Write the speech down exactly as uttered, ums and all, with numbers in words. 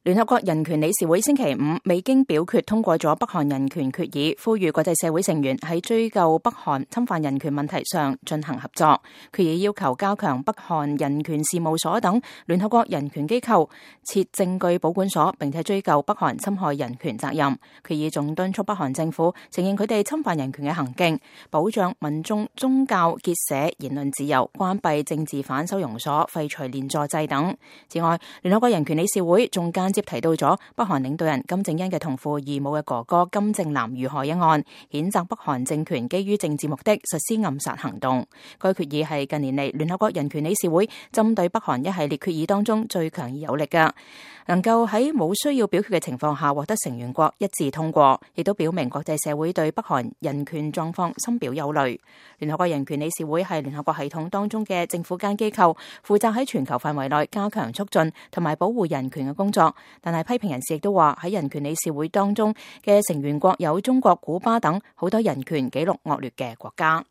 聯合國人權理事會星期五未經表決通過咗北韓人權決議，呼籲國際社會成員喺追究北韓侵犯人權問題上進行合作。決議要求加強北韓人權事務所等聯合國人權機構設證據保管所，並且追究北韓侵害人權責任。決議仲敦促北韓政府承認佢哋侵犯人權嘅行徑，保障民眾宗教結社言論自由，關閉政治犯收容所，廢除連坐制等。此外，聯合國人權理事會仲間接提到咗北韓領導人金正恩嘅同父異母嘅哥哥金正男遇害一案，譴責北韓政權基於政治目的實施暗殺行動。該決議係近年嚟聯合國人權理事會針對北韓一系列決議當中最強而有力嘅，能夠喺冇需要表決嘅情況下獲得成員國一致通過，亦都表明國際社會對北韓人權狀況深表憂慮。聯合國人權理事會係聯合國系統當中嘅政府間機構，負責喺全球範圍內加強促進同埋保護人權嘅工作。但係批評人士亦都話喺人權理事會當中嘅成員國有中國、古巴等好多人權紀錄惡劣嘅國家。